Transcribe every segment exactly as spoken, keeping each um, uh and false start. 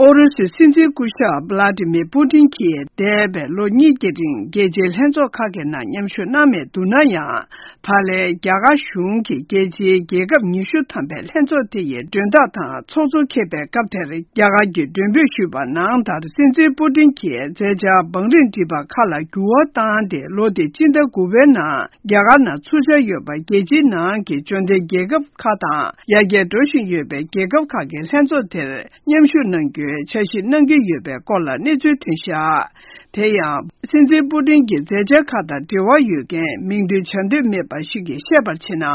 ཨུ་རུ་སུའི་སྲིད་འཛིན་སྐུ་ཞབས་བླ་ཏི་མིར་པུ་ཏིན་གྱིས་འདས་པའི་ལོ་གཉིས་ཀྱི་རིང་རྒྱལ་སྤྱིའི་ལྷན་ཚོགས་ཁག་གི་ནང་མཉམ་ཞུགས་གནང་མེད་འདུག་ན་ཡང་། ད་ལན་རྒྱ་གར་གཞུང་གིས་རྒྱལ་སྤྱིའི་རྒྱལ་ཁབ་ཉི་ཤུ་ཐམ་པའི་ལྷན་ཚོགས་དེ་ཡི་མགྲོན་བདག་དང་ཚོགས་གཙོ་འཁེལ་པའི་སྐབས་དེར། རྒྱ་གར་གྱིས་མགྲོན་འབོད་ཞུས་པ་ནང་ལྟར། སྲིད་འཛིན་པུ་ཏིན་གྱིས་མཛད་འཆར་བང་རིམ་བསྒྲིགས་པ་ཁག་ལ་འགྱུར་བ་བཏང་སྟེ། ལོ་འདིའི་སྤྱི་ཟླ་དགུ་པའི་ནང་རྒྱ་གར་ནང་ཚུགས་འཆར་ཡོད་པ། རྒྱལ་སྤྱིའི་ནང་གི་འབྱོར་ལྡན་རྒྱལ་ཁབ་ཁག་དང་ཡར་རྒྱས་འགྲོ་བཞིན་ཡོད་པའི་རྒྱལ་ཁབ་ཁག་གི་ལྷན་ཚོགས་དེར་མཉམ་ཞུགས་གནང་རྒྱུའི་འཆར་གཞི་གནང་གི་ཡོད་པའི་སྐོར་ལ་གནས་ཚུལ་ཐོན་བཞག་དེ་ཡང་། སྲིད་འཛིན་པུ་ཏིན་གྱི་མཛད་འཆར་ཁག་དང་འབྲེལ་བ་ཡོད་མཁན་མིང་འདོན་བྱ་འདོད་མེད་པ་ཞིག་གིས་བཤད་པར་བྱས་ན།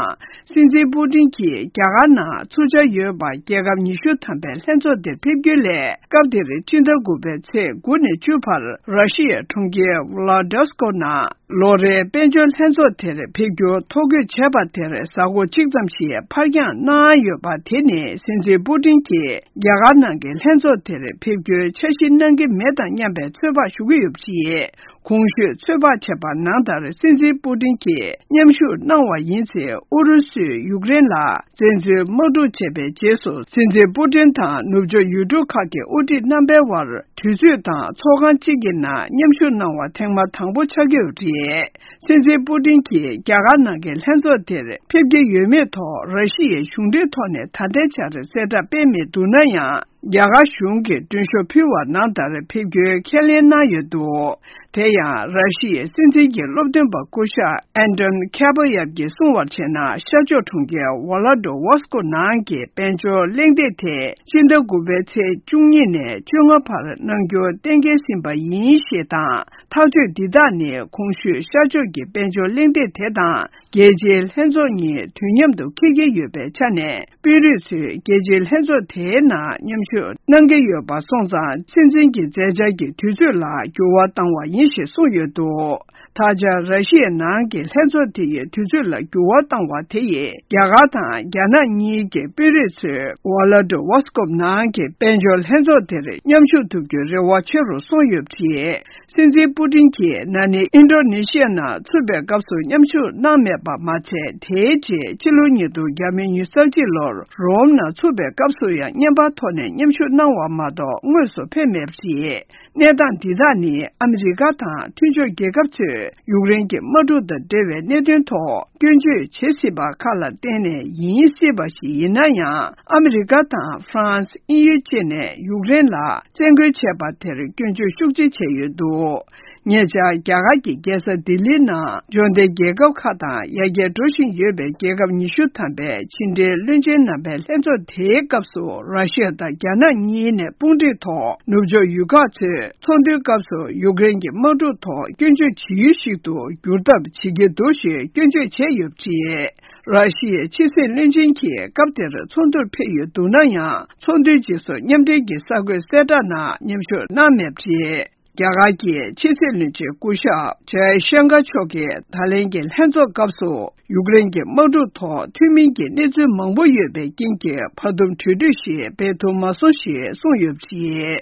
སྲིད་འཛིན་པུ་ཏིན་གྱིས་རྒྱ་གར་ནང་ཚུགས་འཆར་ཡོད་པ། རྒྱལ་ཁབ་ཉི་ཤུ་ཐམ་པའི་ལྷན་ཚོགས་དེར་ཕེབས་རྒྱུ་ལས། སྐབས་དེར་སྤྱི་ཟླ་དགུ་པའི་ཚེས་དགུ་ནས་བཅུ་བར་ར་ཤི་ཡའི་གྲོང་ཁྱེར་ཝ་ལ་ཌི་སི་ཀོ་ནང་ལོ་རེའི་དཔལ་འབྱོར་ལྷན་ཚོགས་དེར་ཕེབས་རྒྱུ་ཐོ་འགོད་བྱས་པ་དེར་གཟའ་འཁོར་གཅིག་ཙམ་ཞིག་ཕར་འགྱངས་གནང་ཡོད་པ། དེ་ནི་སྲིད་འཛིན་པུ་ཏིན་གྱིས་རྒྱ་གར་ནང་གི་ལྷན་ཚོགས་དེར་ཕེབས་རྒྱུའི་འཆར་གཞི་གནང་གི་མེད་དམ་སྙམ་པའི་ཚོད་དཔག་ཞུ་གི་ཡོད་པ་རེད། གོང་ཞུས་ཚོད་དཔག་བྱས་པ་ནང་ལྟར། སྲིད་འཛིན་པུ་ཏིན་གྱིས་མཉམ་ཞུགས་གནང་བ་ཡིན་ཚེ། ཨུ་རུ་སུས་ཡུཀ་རེན་ལ་བཙན་འཛུལ་དམག་འཁྲུག་བྱས་པའི་རྗེས་སུ། སྲིད་འཛིན་པུ་ཏིན་དང་ནུབ་ཕྱོགས་ཡུལ་གྲུ་ཁག་གི་དབུ་ཁྲིད་རྣམ་པའི་དབར་དུས་ཚོད་དང་ཚོགས་ཁང་གཅིག་གི་ནང་མཉམ་ཞུགས་གནང་བ་ཐེངས་མ་དང་པོ་ཆགས་ཀྱི་ཡོད་པ་རེད། སྲིད་འཛིན་པུ་ཏིན་གྱིས་རྒྱ་གར་ནང་གི་ལྷན་ཚོགས་དེར་ཕེབས་ཀྱི་ཡོད་མེད་ཐོག་ར་ཤི་ཡའི་གཞུང་འབྲེལ་ཐོག་ནས་ད་ལྟའི་ཆར་གསལ་བསྒྲགས་སྤེལ་མི་འདུག་ན་ཡང་། རྒྱ་གར་གཞུང་གིས་མགྲོན་ཤོག་ཕུལ་བ་ནང་ལྟར་ཕེབས་རྒྱུའི་ཁས་ལེན་གནང་ཡོད་འདུག་དེ་ཡང་། ར་ཤི་ཡའི་སྲིད་འཛིན་གྱི་སློབ་སྟོན་པ་སྐུ་ཞབས་ཨན་ཏོན་ཁེ་པ་ཡབ་ཀྱིས་གསུངས་པར་བྱས་ན། ཤར་ཕྱོགས་གྲོང་ཁྱེར་ཝ་ལ་ཌི་ཝོ་སི་ཀོ་ནང་གི་དཔལ་འབྱོར་གླེང་སྟེགས་དེ་སྤྱི་ཟླ་དགུ་པའི་ཚེས་བཅུ་གཉིས་ནས་བཅོ་ལྔ་བར་གནང་རྒྱུ་གཏན་འཁེལ་ཟིན་པ་ཡིན་ཞེས་དང་། ཐག་གཅོད་འདི་དག་ནི་གོང་ཞུས་ཤར་ཕྱོགས་ཀྱི་དཔལ་འབྱོར་གླེང་སྟེགས་དེ་དང་། རྒྱལ་སྤྱིའི་ལྷན་ཚོགས་གཉིས་དུས་མཉམ་དུ་འཁེལ་གྱི་ཡོད་པའི་ཆ་ནས། དཔོན་རིགས་ཚོས་རྒྱལ་སྤྱིའི་ལྷན་ཚོགས་དེའི་ནང་མཉམ་ཞུགས་གནང་གི་ཡོད་པ་སོང་ཙང་། སྲིད་འཛིན་གྱི་མཛད་འཆར་གྱི་དུས་ཚོད་ལ་འགྱུར་བ་བཏང་བ་ཡིན་ཞེས་གསུངས་ཡོད་འདུག་ད་ཆ་ར་ཤི་ཡའི་ནང་གི་ལྷན་ཚོགས་དེ་ཡི་དུས་ཚོད་ལ་འགྱུར་བ་བཏང་བ་དེ་ཡིས། རྒྱ་གར་དང་རྒྱ་ནག་གཉིས་ཀྱི་དཔོན་རིགས་ཚོས་ཝ་ལ་ཌི་ཝོ་སི་ཀོབ་ནང་གི་དཔལ་འབྱོར་ལྷན་ཚོགས་དེར་མཉམ་ཞུགས་ཐུབ་རྒྱུའི་རེ་བ་ཆེ་རུ་སོང་ཡོད་པ་རེད། སྲིད་འཛིན་པུ་ཏིན་གྱིས་ན་ནིང་ཨིན་ཌོ་ནེ་ཤི་ཡ་ནང་ཚུད་པའི་སྐབས་སུ་མཉམ་ཞུགས་གནང་མེད་པ་མ་ཚད། དེའི་རྗེས་ཕྱི་ལོ་ཉིས་སྟོང་ཉི་ཤུ་རྩ་གཅིག་ལོར་རོམ་ནང་ཚུད་པའི་སྐབས་སུ་ཡང་བརྙན་པར་ཐོག་ནས་མཉམ་ཞུགས་གནང་བ་མ་གཏོགས་དངོས་སུ་ཕེབས་མེད་པ་རེད། གནས་སྟངས་འདི་དག་ནི་ཨ་མི་རི་ཀ་དང་མཐུན་ཕྱོགས་རྒྱལ་ཁབ་ཚོས་ཡུཀ་རེན་གྱི་དམག་འཁྲུག་དང་འབྲེལ་བའི་གནད་དོན་ཐོག་སྐྱོན་བརྗོད་བྱེད་སྲིད་པ་ཁག་ལ་བརྟེན་ནས་ཡིན་སྲིད་པ་ཞིག་ཡིན་ན་ཡང་། ཨ་མི་རི་ཀ་དང་ཧྥ་རན་སི། དབྱིན་ཡུལ་བཅས་ནས་ཡུཀ་རེན་ལ་བཙན་རྒོལ་བྱས་པ་དེར་སྐྱོན་བརྗོད་ཤུགས་ཆེ་བྱས་ཡོད་འདུག་ཉེ་ཆར་རྒྱ་གར་གྱི་རྒྱལ་ས་ལྡི་ལིའི་ནང་འབྱོར་ལྡན་རྒྱལ་ཁབ་ཁག་དང་ཡར་རྒྱས་འགྲོ་བཞིན་ཡོད་པའི་རྒྱལ་ཁབ་ཉི་ཤུ་ཐམ་པའི་ཕྱི་འབྲེལ་བློན་ཆེན་རྣམ་པའི་ལྷན་ཚོགས་དེའི་སྐབས་སུ། ར་ཤི་ཡ་དང་རྒྱ་ནག་གཉིས་ནས་དཔུང་སྒྲིག་ཐོག་ནུབ་ཕྱོགས་ཡུལ་ཁག་ཚོས་ཚོགས་འདུའི་སྐབས་སུ་ཡུཀ་རེན་གྱི་དམག་འཁྲུག་ཐོག་སྐྱོན་བརྗོད་བྱེད་ཡུལ་ཞིག་ཏུ་འགྱུར་ཐབས་བྱེད་ཀྱི་འདུག་ཞེས་སྐྱོན་བརྗོད་བྱས་ཡོད་པ་རེད། ར་ཤི་ཡའི་ཕྱི་སྲིད་བློན་ཆེན་གྱིས་སྐབས་དེར་ཚོགས་འདུར་ཕེབས་ཡོད་འདུག་ན་ཡང་། ཚོགས་འདུའི་རྗེས་སུ་མཉམ་འབྲེལ་གྱི་གསར་འགོད་གསལ་བསྒྲགས་ནང་མཉམ་ཞུགས་གནང་མེད་པ་རེད། རྒྱ་གར་གྱི་ཕྱི་སྲིད་བློན་ཆེན་སྐུ་ཞབས་ཇའི་ཤང་ཀར་མཆོག་གིས་ད་ལན་གྱི་ལྷན་ཚོགས་སྐབས་སུ་ཡུཀ་རེན་གྱི་དམག་འཁྲུག་ཐོག་མཐུན་མིན་གྱི་གནས་ཚུལ་མང་པོ་ཡོད་པའི་རྐྱེན་གྱིས། བར་འདུམ་གྲོས་མཐུན་ཞིག་སྤེལ་ཐུབ་མ་སོང་ཞེས་གསུངས་ཡོད་པ་རེད།